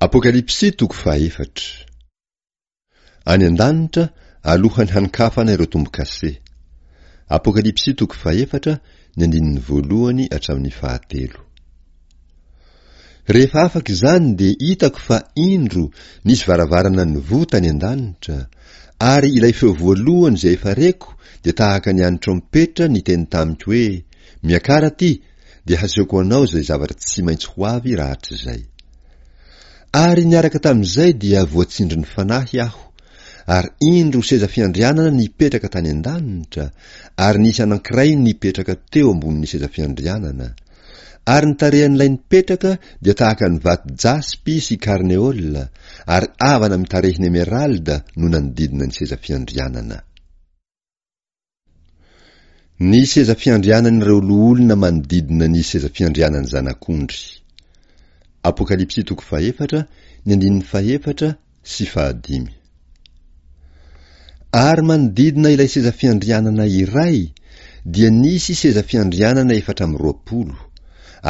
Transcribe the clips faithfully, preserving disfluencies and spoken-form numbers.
Apokalypsy toko fahefatra. Any an-danitra, alohan'ny hanokafana ireo tombo-kase. Apokalypsy toko fahefatra, ny andininy voalohany hatramin'ny fahatelo. Rehefa afaka izany dia hitako fa indro nisy varavarana nivoha tany an-danitra, ary ilay feo voalohany izay efa reko dia tahaka ny an'ny trompetra niteny tamiko hoe, Miakara aty, dia hasehoko anao izay zavatra tsy maintsy ho avy rahatrizay. Ary niaraka tamin'izay dia voatsindrin'ny Fanahy aho, ary indro seza fiandrianana nipetraka tany an-danitra, ary nisy anankiray nipetraka teo ambonin'ny seza fiandrianana. Ary ny tarehan'ilay nipetraka dia tahaka ny vato jaspy sy karneola, ary avana mitarehin'emeralda no nanodidina ny seza fiandrianana. Ny seza fiandrianan'ireo loholona manodidina ny seza fiandrianan'ny Zanak'ondry. Apokalypsy toko fahefatra, ny andininy fahefatra sy fahadimy. Ary manodidina ilay seza fiandrianana iray dia nisy seza fiandrianana efatra amby roapolo,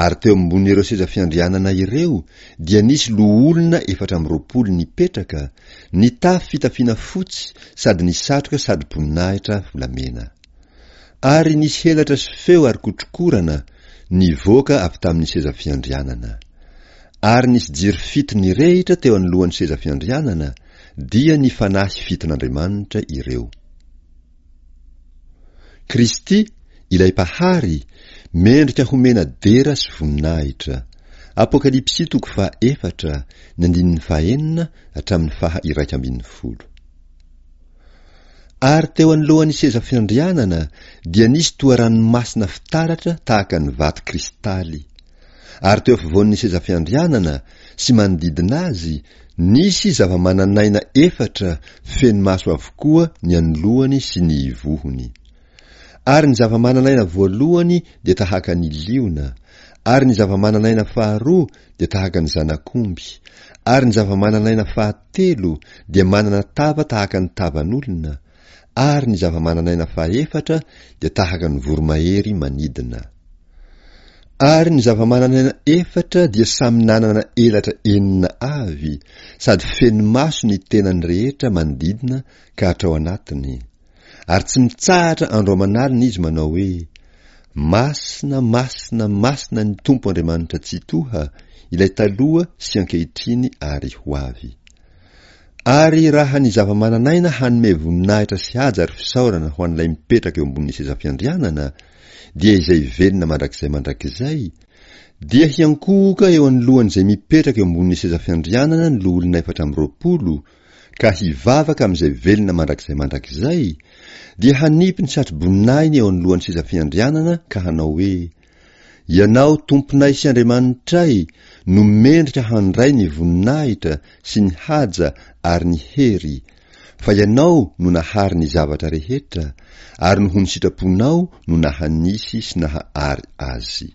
ary teo ambonin'ireo seza fiandrianana ireo dia nisy loholona efatra amby roapolo nipetraka, nitafy fitafiana fotsy sady nisatroka satroboninahitra volamena. Ary nisy helatra sy feo ary kotrokorana nivoaka avy tamin'ny seza fiandrianana. Ary nisy jiro fito nirehitra teo anoloan'ny seza fiandrianana, dia ny fanahy fiton'Andriamanitra ireo. Kristy, ilay Mpahary, mendrika homena dera sy voninahitra. Apokalypsy toko faha efatra, ny andininy faha enina hatramin'ny faha iraika ambin'ny folo. Ary teo anoloan'ny seza fiandrianana dia nisy toa ranomasina fitaratra tahaka ny vato kristaly. Ary teo afovoan'ny seza fiandrianana sy manodidina azy nisy zava-manan'aina efatra feno maso avokoa ny anoloany sy ny ivohony. Ary ny zava-manan'aina voalohany dia tahaka ny liona, ary ny zava-manan'aina faharoa dia tahaka ny zanak'omby, ary ny zava-manan'aina fahatelo dia manana tava tahaka ny tavan'olona, ary ny zava-manan'aina fahefatra dia tahaka ny voromahery manidina. Ary ny zava-manan'aina efatra dia samy nanana elatra enina avy, sady feno maso ny tenany rehetra manodidina ka hatrao anatiny. Ary tsy mitsahatra andro aman'alina izy manao hoe, Masina, masina, masina ny Tompo Andriamanitra Tsitoha, ilay taloha sy ankehitriny ary ho avy. Ary raha ny zava-manan'aina hanome voninahitra sy haja ary fisaorana ho an'ilay mipetraka eo ambonin'ny seza fiandrianana, dia izay velona mandrakizay mandrakizay, dia hiankohoka eo anoloan'izay mipetraka eo ambonin'ny seza fiandrianana ny loholona efatra amby roapolo, ka hivavaka amin'izay velona mandrakizay mandrakizay, dia hanipy ny satroboninahiny eo anoloan'ny seza fiandrianana ka hanao hoe, Ianao Tomponay sy Andriamanitray no mendrika handray ny voninahitra sy ny haja ary ny hery, fa Ianao no nahary ny zavatra rehetra, ary noho ny sitraponao no naha-nisy sy naha-ary azy.